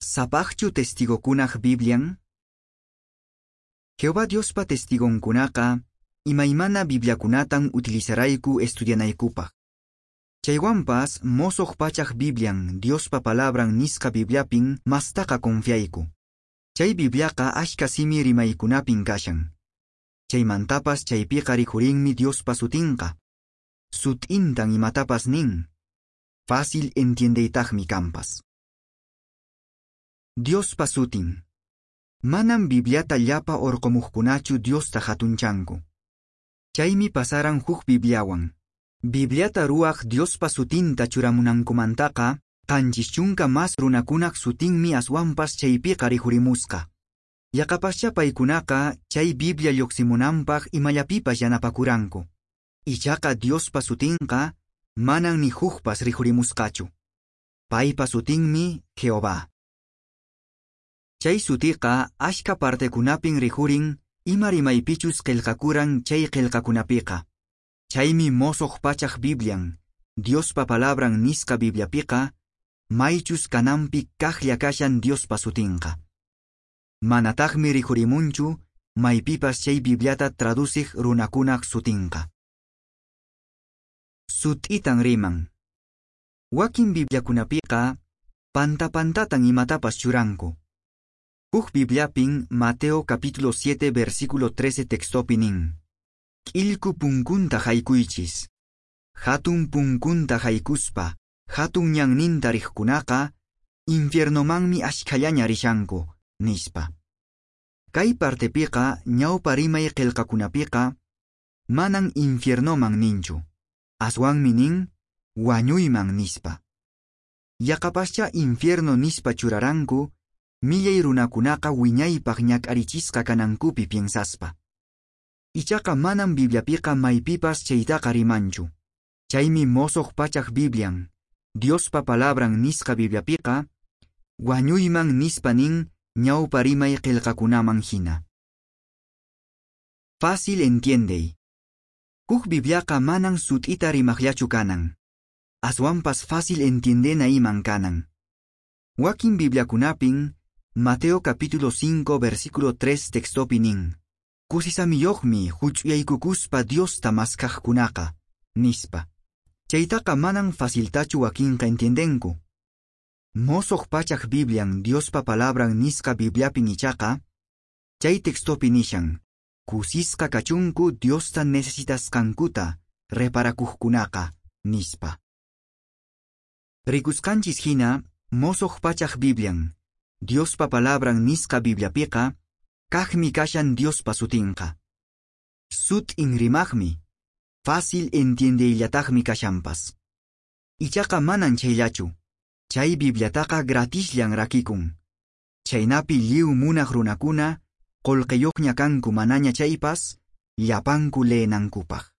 Sapaqchu testigokunaq Biblian? Jehová Diospa testigonkunaqa imaymana Bibliakunatan utilizarayku estudianaykupaq. Chaywanpas Mosoq Pachaq Biblian Diospa Palabran nisqa Bibliapin mastaqa confiayku. Chay Bibliaqa ashka simi rimaykunapin kashan. Chaymantapas chaypiqa rikhurinmi Diospa sutinqa. Sut'intan imatapas nin. Fácil entiendeytaqmi kanpas. Diospa sutin. Manam Bibliata llapa orqomuqkunachu Diosta hatunchanku. Chaymi pasaran huk Bibliawan. Bibliata ruwaq Diospa sutinta churamunankumantaqa, 70 mas runakunaq sutinmi aswanpas chaypiqa rikhurimusqa. Yaqapascha paykunaqa chay Biblia lluqsimunanpaq imallapipas yanapakuranku. Ichaqa Diospa sutinqa manan ni hukpas rikhurimusqachu. Paypa sutinmi Jehová. Chay sutiqa ashka partekunapin rikhurin ima rimaypichus qillqakuran chay qillqakunapiqa. Chaymi Mosoq Pachaq Biblian, Diospa Palabran nisqa Bibliapiqa, maychus kananpi kaqlla kashan Diospa sutinqa. Manataqmi rikhurimunchu maypipas chay Bibliata traduciq runakunaq sutinqa. Sut'itan riman. Wakin Bibliakunapiqa panta pantatan imatapas churanku. Huk Bibliapin Mateo capítulo 7 versículo 13 textopi nin. K'illku punkunta haykuychis. Hatun punkunta haykuspa, hatun ñanninta riqkunaqa, infiernomanmi ashkhallaña rishanku, nispa. Kay partepiqa ñawpa rimay qillqakunapiqa, manan infiernoman ninchu. Aswanmi nin, wañuyman nispa. Yaqapascha infierno nispa churaranku, millay runakunaqa wiñaypaq ñak'arichisqa kanankupi piensaspa. Ichaqa manam Bibliapiqa maypipas chaytaqa rimanchu. Chaymi Mosoq Pachaq Biblian, Diospa Palabran nisqa Bibliapiqa, wañuyman nispa nin ñawpa rimay qillqakunaman hina. Fácil entiendey. Huk Bibliaqa manan sut'ita rimaqllachu kanan. Aswanpas fácil entiendena iman kanan. Wakin Bibliakunapin, Mateo capítulo 5 versículo 3 textopi nin. Kusisamiyuqmi huch'uyaykukuspa Diosta maskaqkunaqa, nispa. Chaytaqa manan faciltachu wakinqa entiendenku. Mosoq Pachaq Biblian Diospa Palabran nisqa Bibliapin ichaqa, chay textopi nishan, kusisqa kachunku Diosta necesitasqankuta reparakuqkunaqa, nispa. Rikusqanchis hina, Mosoq Pachaq Biblian, Diospa Palabran nisqa Bibliapiqa, kaqmi kashan Diospa sutinqa. Sut'in rimaqmi, fácil entiendeyllataqmi kashanpas. Ichaqa manan chayllachu, chay Bibliataqa gratisllan rakikun. Chaynapi lliw munaq runakuna, qullqiyuqña kanku manaña chaypas, llapanku leenankupaq.